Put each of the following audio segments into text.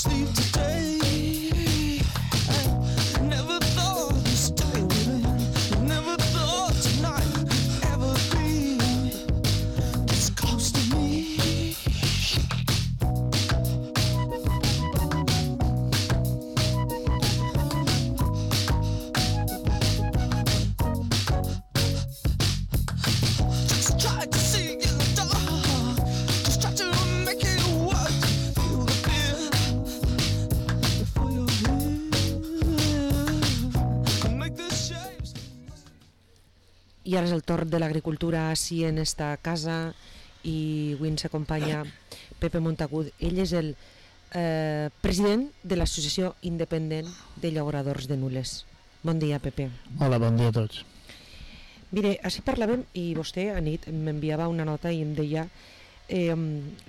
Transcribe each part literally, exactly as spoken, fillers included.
sleep today. Never thought this day would end. Never thought tonight would ever be this close to me. Just try to see in the dark. Just try to make it work. Feel the fear before you're here. Make the shapes. I ara és el torn de l'agricultura així en esta casa i avui ens acompanya Pepe Montagut. Ell és el eh, president de l'Associació Independent de Llauradors de Nules. Bon dia, Pepe. Hola, bon dia a tots. Mire, així parlàvem i vostè a nit m'enviava una nota i em deia eh,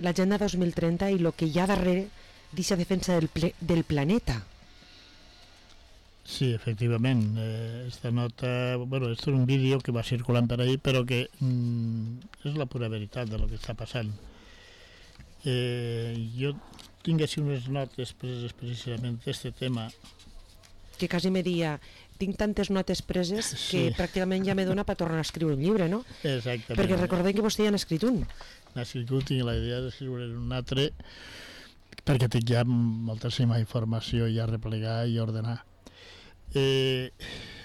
l'agenda dos mil trenta i el que hi ha darrere d'aquesta defensa del, ple, del planeta. Sí, efectivament, eh, esta nota, bueno, esto es un vídeo que va circulant per ahí, però que mm, és la pura veritat de lo que està passant. Eh, jo tinc així unes notes preses precisament d'aquest tema. Que quasi me dia, tinc tantes notes preses que Sí. pràcticament ja me dona per tornar a escriure un llibre, no? Exactament. Perquè recordem que vostè ja n'ha escrit un. N'ha escrit, tinc la idea d'escriure un altre, perquè tinc ja moltíssima informació ja a replegar i a ordenar. Eh,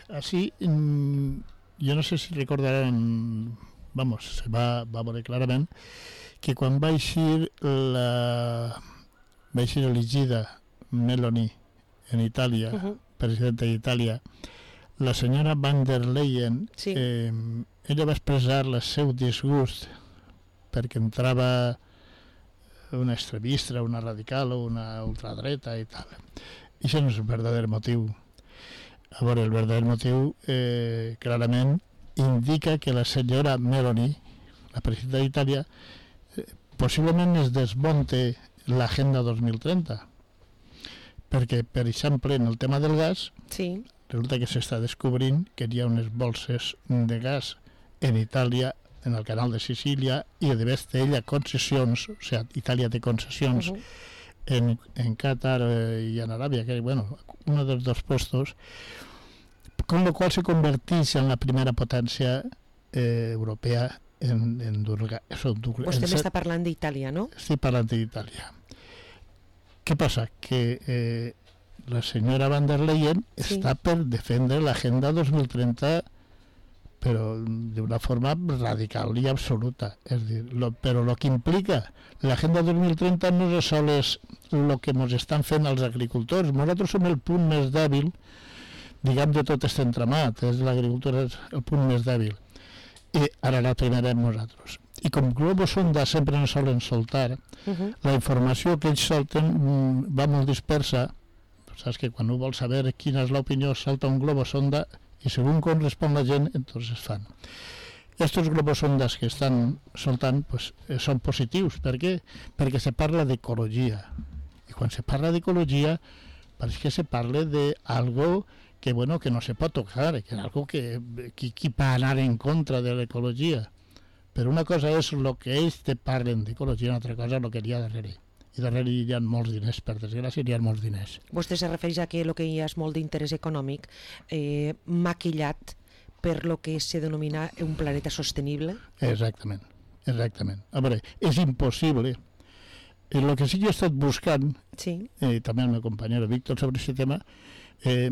així, mm, jo no sé si recordaran, vamos, se va, va veure clarament, que quan va eixir la va eixir elegida Meloni en Itàlia, Uh-huh. presidenta d'Itàlia, la senyora van der Leyen, Sí. eh, ella va expressar el seu disgust perquè entrava una extremista, una radical o una ultradreta i tal. I això no és el verdader motiu. A veure, el verdader motiu eh, clarament indica que la senyora Meloni, la presidenta d'Itàlia, eh, possiblement es desmonte l'agenda dos mil trenta, perquè, per exemple, en el tema del gas, Sí. resulta que s'està descobrint que hi ha unes bolses de gas en Itàlia, en el canal de Sicília, i a més d'ella concessions, o sigui, Itàlia té concessions Uh-huh. en, en Qatar eh, i en Aràbia, que bueno, uno dels dos puestos, con lo cual se converteix en la primera potència eh, europea en, en dur gas. Vostè m'està parlant d'Itàlia, no? Estic parlant d'Itàlia. Què passa? Que eh, la senyora van der Leyen Sí. està per defendre l'agenda dos mil trenta, però d'una forma radical i absoluta. És dir, lo, però el que implica l'agenda dos mil trenta no és sols el que ens estan fent els agricultors. Nosaltres som el punt més dèbil, diguem, de tot aquest entramat. És l'agricultura és el punt més dèbil. I ara la primerem nosaltres. I com globos sonda sempre ens solen soltar, Uh-huh. la informació que ells solten mm, va molt dispersa. Saps que quan no vols saber quina és l'opinió salta un globo sonda i segons com respon la gent entonces fan. Estos globos sondas que estan soltant pues, eh, són positius. Per què? Perquè se parla d'ecologia, i quan se parla d'ecologia pareix que se parla d'algo que, bueno, que no se pot tocar, que és algo que qui, qui va anar en contra de l'ecologia. Però una cosa és el que ells te parlen d'ecologia, una altra cosa és el que hi ha darrere. I darrere hi ha molts diners, per desgràcia hi ha molts diners. Vostè se refereix a que el que hi ha és molt d'interès econòmic eh, maquillat per lo que se denomina un planeta sostenible? Exactament, exactament. A veure, és impossible. El que sí que he estat buscant, Sí. eh, també el meu company Víctor sobre aquest tema, eh,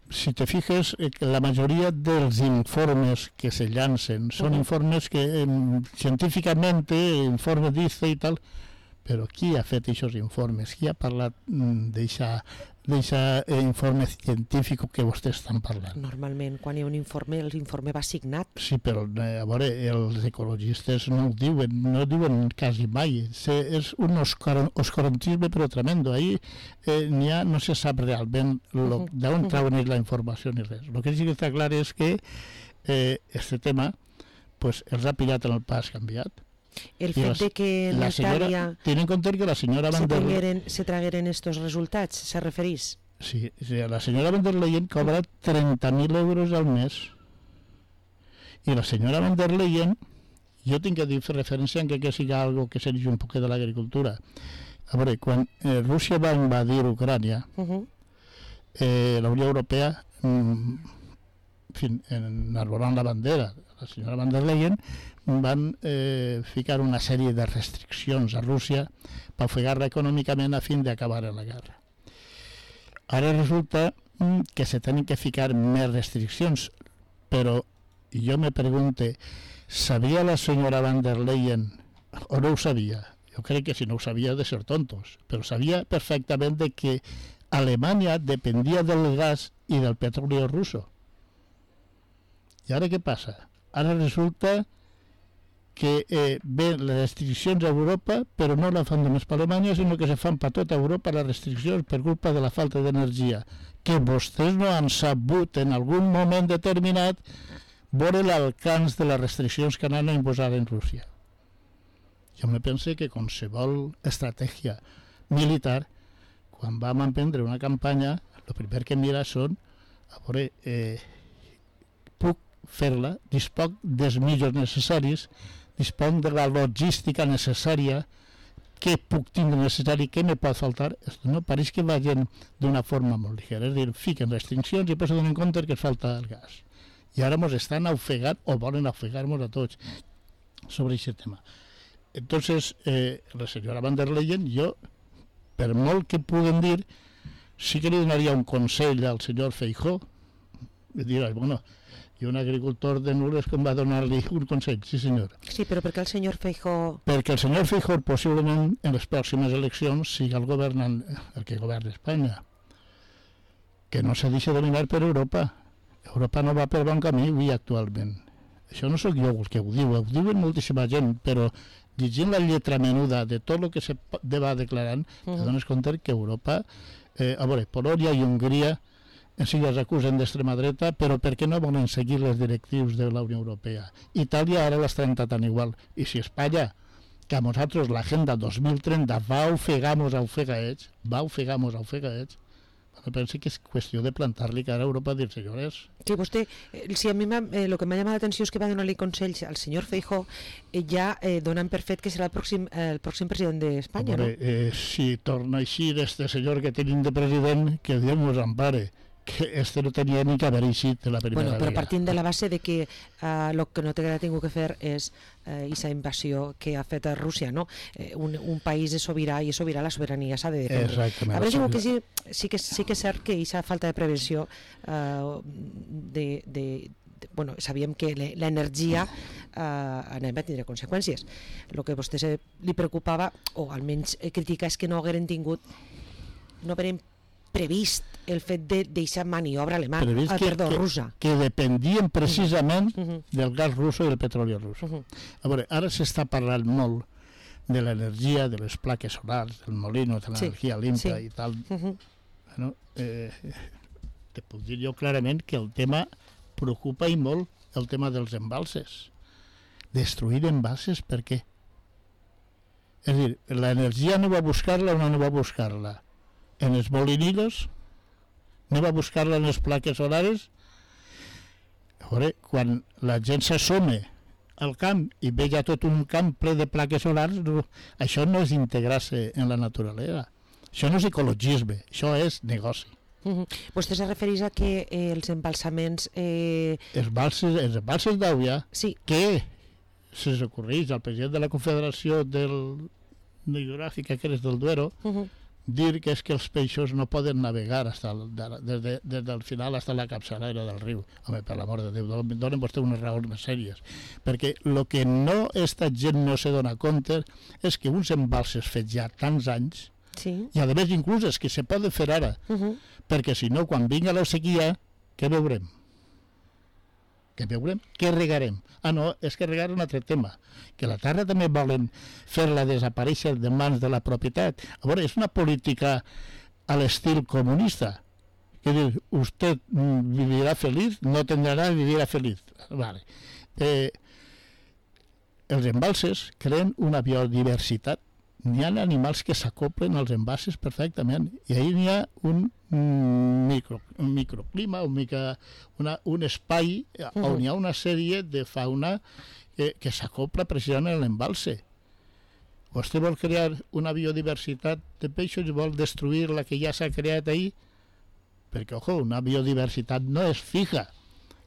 si te fijes, eh, que la majoria dels informes que se llancen són Uh-huh. informes que eh, científicament, informes d'I C E i tal, però qui ha fet aquests informes? Qui ha parlat d'aquest eh, informe científic que vostès estan parlant? Normalment, quan hi ha un informe, l'informe va signat. Sí, però eh, a veure, els ecologistes no ho diuen, no ho diuen quasi mai. Se, és un oscor, oscurantisme però tremendo. Ahí eh, n'hi ha, no se sap realment lo, Uh-huh. d'on Uh-huh. trauen ells la informació ni res. El que sí que està clar és que eh, este tema pues, els ha pillat en el pas canviat. El I fet la- de que en La Itàlia senyora, ten en compte que la senyora se Van der Leyen, tragueren, se tragueren estos resultats, se referís? sí, sí, la senyora Van der Leyen cobra trenta mil euros al mes. I la senyora Van der Leyen, jo tinc que dir fer referència en que, que siga algo que sigui un poc de l'agricultura. A veure, quan eh, Rússia va invadir Ucrània, Uh -huh. eh, la Unió Europea, mm, en fi, enarbolant la bandera, la senyora van der Leyen, van eh, ficar una sèrie de restriccions a Rússia per ofegar-la econòmicament a fin d'acabar la guerra. Ara resulta mm, que se tenen que ficar més restriccions, però jo me pregunte, sabia la senyora van der Leyen, o no ho sabia? Jo crec que si no ho sabia de ser tontos, però sabia perfectament de que Alemanya dependia del gas i del petroli russo. I ara què passa? Ara resulta que eh, ven les restriccions a Europa, però no la fan només per Alemanya, sinó que se fan per tota Europa les restriccions per culpa de la falta d'energia, que vostès no han sabut en algun moment determinat veure l'alcance de les restriccions que han imposat en Rússia. Jo me pense que qualsevol estratègia militar, quan vam emprendre una campanya, el primer que mira són, a veure, eh, puc fer-la, dispoc dels mitjans necessaris, disponc de la logística necessària, què puc tindre necessari, què me pot faltar. No pareix que vagin d'una forma molt ligera, és a dir, fiquen restriccions i després se donen compte que es falta el gas. I ara ens estan ofegant, o volen ofegar-nos a tots, sobre aquest tema. Entonces, eh, la senyora van der Leyen, jo, per molt que puguen dir, sí que li donaria un consell al senyor Feijóo, i dirà, bueno, i un agricultor de Nules com va donar-li un consell, sí senyor. Sí, però per què el senyor Feijóo... Perquè el senyor Feijóo possiblement en les pròximes eleccions sigui el governant, el que governa Espanya, que no se deixa dominar per Europa. Europa no va per bon camí avui actualment. Això no sóc jo el que ho diu, ho diuen moltíssima gent, però llegint la lletra menuda de tot el que se va declarant, uh -huh. te dones compte que Europa, eh, a veure, Polònia i Hongria en si les acusen d'extrema dreta, però per què no volen seguir les directrius de la Unió Europea? Itàlia ara l'estan intentant igual. I si Espanya, que a nosaltres l'agenda dos mil trenta va ofegar-nos a ofegar-ets, va ofegar-nos a ofegar-ets, bueno, penso que és qüestió de plantar-li cara a Europa i dir, senyores... Sí, vostè, eh, si a mi el eh, que m'ha llamat l'atenció és que va donar-li consells al senyor Feijóo eh, ja eh, donant per fet que serà el pròxim, eh, el pròxim president d'Espanya, no? Eh, si torna així este senyor que tenim de president, que Déu nos ampare, que este no tenia ni que haver eixit de la primera bueno, però vegada. partint de la base de que el uh, que no té que tingut que fer és aquesta uh, invasió que ha fet a Rússia, no? Eh, un, un país és sobirà i és sobirà, la sobirania s'ha de defendre. Exactament. A veure, diu que sí, sí, que, sí que és cert que aquesta falta de prevenció uh, de, de, de, bueno, sabíem que l'energia uh, anem a tindre conseqüències. El que a vostè se, li preocupava, o almenys criticar, és que no hagueren tingut, no hagueren previst el fet de deixar maniobra alemany, ah, que, perdó, que, russa. Que dependien precisament uh -huh. del gas russo i del petroli russo. Uh -huh. A veure, ara s'està parlant molt de l'energia, de les plaques solars, del molino, de l'energia sí. limpia sí. i tal. Uh -huh. Bueno, eh, te puc dir jo clarament que el tema preocupa i molt el tema dels embalses. Destruir embalses, per què? És a dir, l'energia no va a buscar-la o no va a buscar-la? En els molinidos, no va a buscar-la en les plaques solares. A veure, quan la gent s'assome al camp i veia tot un camp ple de plaques solars, no, això no és integrar-se en la naturalesa. Això no és ecologisme, això és negoci. Uh -huh. Vostè se refereix a que eh, els embalsaments... Eh... Els balses, els embalses d'Àvia, sí. que se recorreix al president de la Confederació del... Hidrogràfica, que és del Duero, uh -huh. dir que és que els peixos no poden navegar hasta el, des, de, des del final fins a la capçalera del riu. Home, per l'amor de Déu, donen vostè unes raons més sèries. Perquè el que no esta gent no se dona compte és que uns embalses fets ja tants anys, sí. i a més inclús és que se poden fer ara, uh -huh. perquè si no, quan vinga la sequia, què veurem? Què veurem? Què regarem? Ah, no, és que regar un altre tema, que la terra també volen fer-la desaparèixer de mans de la propietat. A veure, és una política a l'estil comunista, que diu, usted vivirà feliç, no tendrà, vivirà feliç. Vale. Eh, els embalses creen una biodiversitat. N'hi ha animals que s'acoplen als embalses perfectament, i ahir n'hi ha un micro, un microclima, un, mica, una, un espai on hi ha una sèrie de fauna que, que s'acopla precisament a l'embalse. Vostè vol crear una biodiversitat de peixos i vol destruir la que ja s'ha creat ahir, perquè, ojo, una biodiversitat no és fija,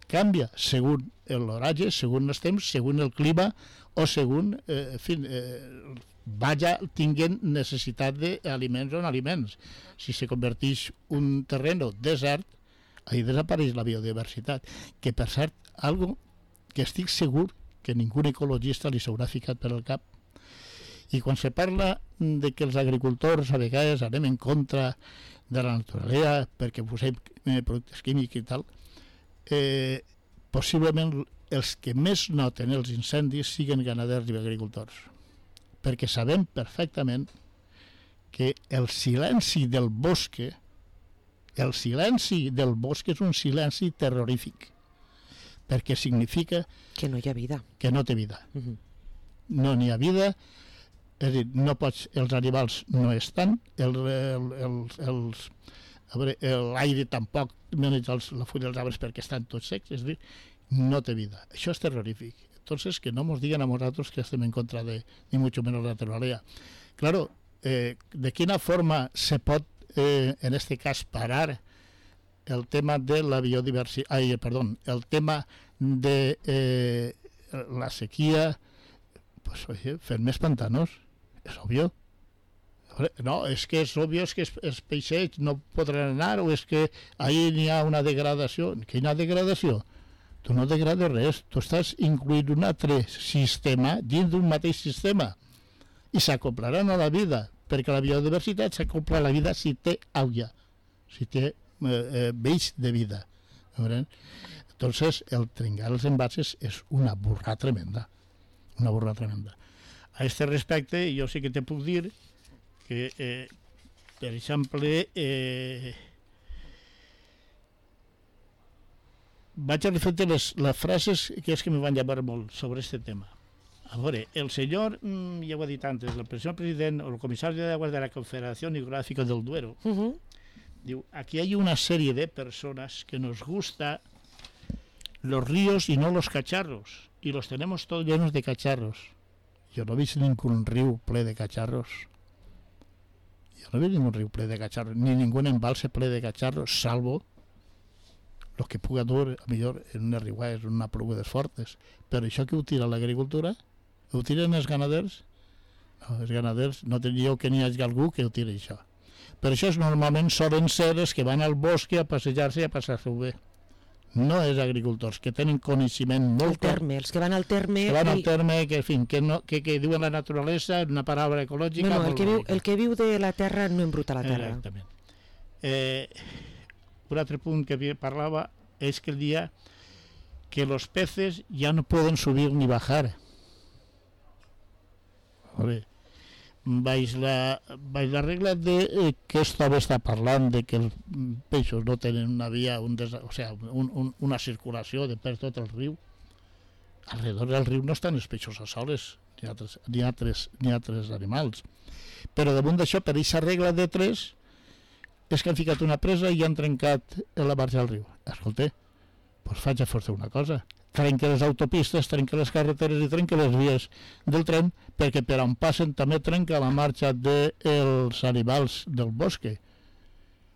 canvia segons l'horatge, segons els temps, segons el clima o segons, eh, en fi, eh, vaya tinguent necessitat d'aliments o no aliments. Si se converteix un terreno desert, ahí desapareix la biodiversitat, que per cert, algo que estic segur que ningú ecologista li s'haurà ficat per al cap. I quan se parla de que els agricultors a vegades anem en contra de la naturalesa perquè posem productes químics i tal, eh, possiblement els que més noten els incendis siguin ganaders i agricultors, perquè sabem perfectament que el silenci del bosc, el silenci del bosc és un silenci terrorífic, perquè significa Que no hi ha vida. que no té vida. Uh-huh. No n'hi ha vida, és a dir, no pots, els animals no estan, el, el, el, els, a veure, l'aire tampoc, els, la fulla dels arbres perquè estan tots secs, és a dir, no té vida. Això és terrorífic. Entonces, que no nos digan a nosotros que estem en contra de, ni mucho menos la naturaleza. Claro, eh, ¿de quina forma se pot, eh, en este cas, parar el tema de la biodiversidad, ay, perdón, el tema de eh, la sequía? Pues, oye, fer més pantanos, és obvio. No, és que és obvio, és que els peixets no podran anar, o és que ahí n'hi ha una degradació. Quina degradació? Tu no degrades res, tu estàs incluint un altre sistema dins d'un mateix sistema i s'acoplaran a la vida, perquè la biodiversitat s'acopla a la vida si té aigua, si té eh, eh, vells de vida. Entonces, el trencar els envasos és una burra tremenda, una burra tremenda. A este respecte, jo sí que te puc dir que, eh, per exemple, eh, vaig a refer les, les frases que és que me van llamar molt sobre este tema. A veure, el senyor, mm, ja ho he dit antes, el senyor president o el comissari de aguas de la Confederación Hidrográfica del Duero, Uh-huh. diu, aquí hay una serie de personas que nos gusta los ríos y no los cacharros, y los tenemos todos llenos de cacharros. Yo no he visto ningún río ple de cacharros. Yo no he visto ningún río ple de cacharros, ni ningún embalse ple de cacharros, salvo los que puga dur, a millor, en unes riuades, en una plugues fortes. Però això que ho tira l'agricultura? Ho tiren els ganaders? No, els ganaders no teniu que n'hi hagi algú que ho tiri això. Però això és, normalment solen ser els que van al bosc a passejar-se i a passar-se-ho bé. No és agricultors, que tenen coneixement El molt clar, terme, els que van al terme... que van al i- terme, que, en fi, que, no, que, que diuen la naturalesa, una paraula ecològica... No, no, el molt que, viu, bonica. el que viu de la terra no embruta la terra. Exactament. Eh, un altre punt que parlava és que el dia que los peces ya no pueden subir ni bajar. Vale. Baix la, baix la regla de eh, que esto està parlant de que els peixos no tenen una via, un des, o sea, un, un, una circulació de per tot el riu. Alrededor del riu no estan els peixos a soles, ni altres, ni altres, ni altres animals. Però damunt d'això, per aquesta regla de tres, és que han ficat una presa i han trencat la marxa del riu. Escolta, doncs faig a força una cosa. Trenca les autopistes, trenca les carreteres i trenca les vies del tren, perquè per on passen també trenca la marxa dels animals del bosc.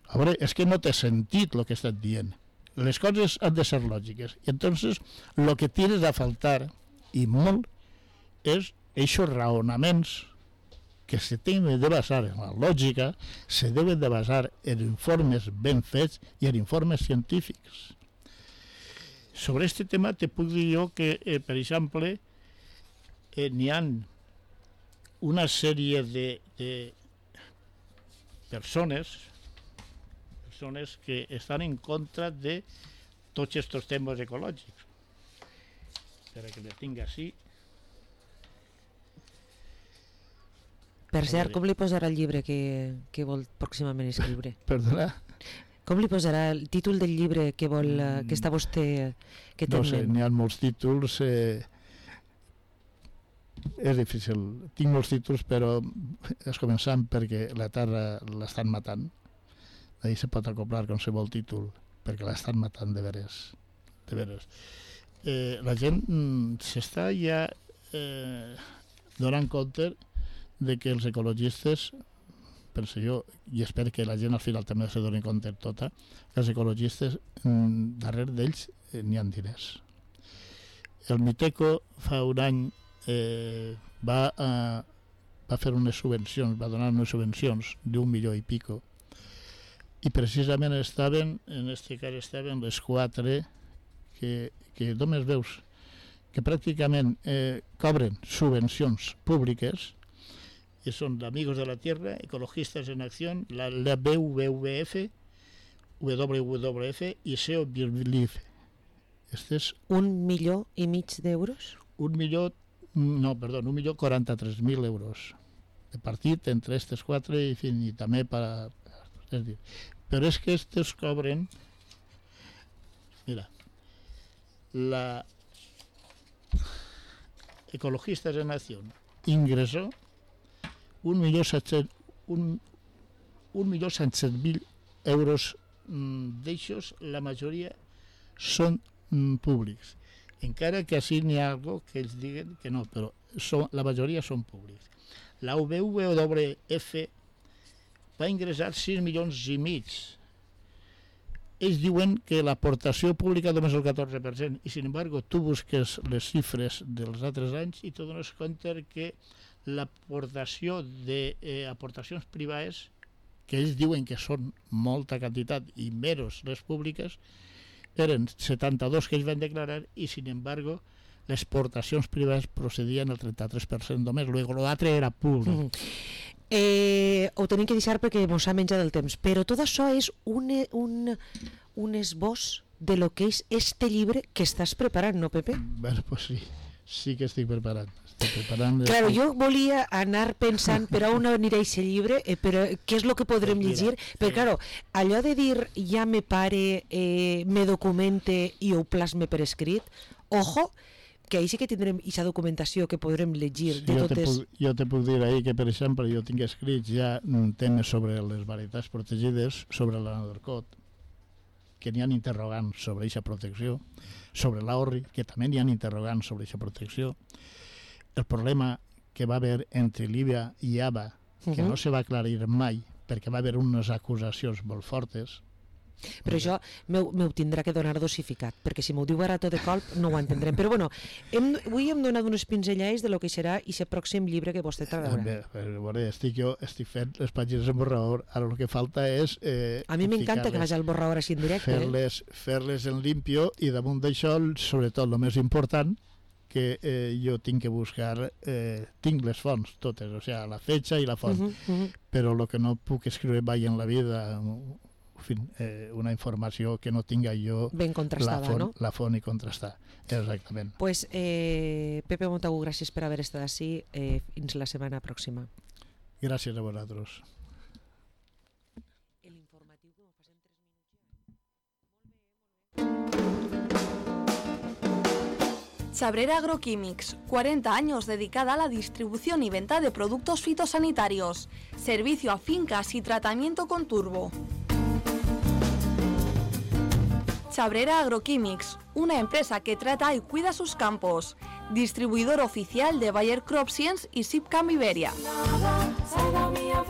A veure, és que no té sentit el que he estat dient. Les coses han de ser lògiques. I entonces, el que tires a faltar, i molt, és aquests raonaments que se tenen de basar en la lògica, se deuen de basar en informes ben fets i en informes científics. Sobre este tema te puc dir jo que, eh, per exemple, eh, n'hi ha una sèrie de, de persones, persones que estan en contra de tots aquests temes ecològics. Espera que le tinc així. Per cert, com li posarà el llibre que, que vol pròximament escriure? Perdona? Com li posarà el títol del llibre que vol, eh, que està vostè, que té No en sé, ment? n'hi ha molts títols. Eh, és difícil. Tinc molts títols, però és començant perquè la terra l'estan matant. Ahí se pot acoplar qualsevol títol, perquè l'estan matant de veres. De veres. Eh, la gent mm, s'està ja eh, donant compte de que els ecologistes, penso jo, i espero que la gent al final també se doni compte tota, que els ecologistes, darrere d'ells eh, n'hi ha diners. El Miteco fa un any eh, va, a, va fer unes subvencions, va donar unes subvencions d'un milió i pico, i precisament estaven, en este cas estaven les quatre que, que només veus que pràcticament eh, cobren subvencions públiques, i són d'Amigos de la Tierra, Ecologistas en Acción, la, la B W W F, W W F i S E O Believe. Este és un milió i mig d'euros? Un milió, no, perdó, un milió quaranta-tres mil euros de partit entre aquestes quatre i, fin, i també per a, és dir, però és que aquestes cobren, mira, la Ecologistas en Acción ingresó un milió set-cents un, un milió set-cents mil euros mm, d'eixos, la majoria són mm, públics. Encara que així n'hi ha algo que ells diguen que no, però són, la majoria són públics. La W W F va ingressar sis milions i mig. Ells diuen que l'aportació pública només el catorze per cent, i sin embargo tu busques les xifres dels altres anys i te dones compte que l'aportació d'aportacions eh, privades, que ells diuen que són molta quantitat i menys les públiques, eren setanta-dos que ells van declarar i, sin embargo, les aportacions privades procedien al trenta-tres per cent només, l'altre era públic. Mm -hmm. eh, ho tenim que deixar perquè ens ha menjat el temps, però tot això és un, un, un esbós de lo que és este llibre que estàs preparant, no, Pepe? Bé, pues sí, sí que estic preparant. Preparant claro, jo volia anar pensant per on anirà aquest llibre, eh, però què és el que podrem llegir, però claro, allò de dir ja me pare, eh, me documente i ho plasme per escrit, ojo, que ahí sí que tindrem aquesta documentació que podrem llegir de jo totes... Te puc, jo te puc dir ahir que, per exemple, jo tinc escrits ja temes sobre les varietats protegides, sobre l'anadorcot, que n'hi ha interrogants sobre aquesta protecció, sobre l'orri, que també n'hi ha interrogants sobre aquesta protecció. El problema que va haver entre Líbia i A B A, que uh-huh. no se va aclarir mai, perquè va haver unes acusacions molt fortes. Però això m'ho tindrà que donar dosificat, perquè si m'ho diu ara tot de colp no ho entendrem. Però bueno, hem, avui hem donat unes pinzellades de lo que serà aquest pròxim llibre que vostè traurà. Bé, bé, estic jo estic fent les pàgines en borrador, ara el que falta és... Eh, a mi m'encanta que vagi al borrador així en directe. Fer-les eh? fer-les en limpio i damunt d'això, sobretot, el més important, que eh, jo tinc que buscar, eh, tinc les fonts totes, o sigui, la fetge i la font, uh -huh, uh -huh. però el que no puc escriure mai en la vida, en fin, eh, una informació que no tinga jo ben contrastada, la font, no? La font i contrastar, exactament. Pues, eh, Pepe Montagut, gràcies per haver estat així, eh, fins la setmana pròxima. Gràcies a vosaltres. Chabrera Agroquímics, cuarenta años dedicada a la distribución y venta de productos fitosanitarios, servicio a fincas y tratamiento con turbo. Chabrera Agroquímics, una empresa que trata y cuida sus campos, distribuidor oficial de Bayer Crop Science y Sipcam Iberia.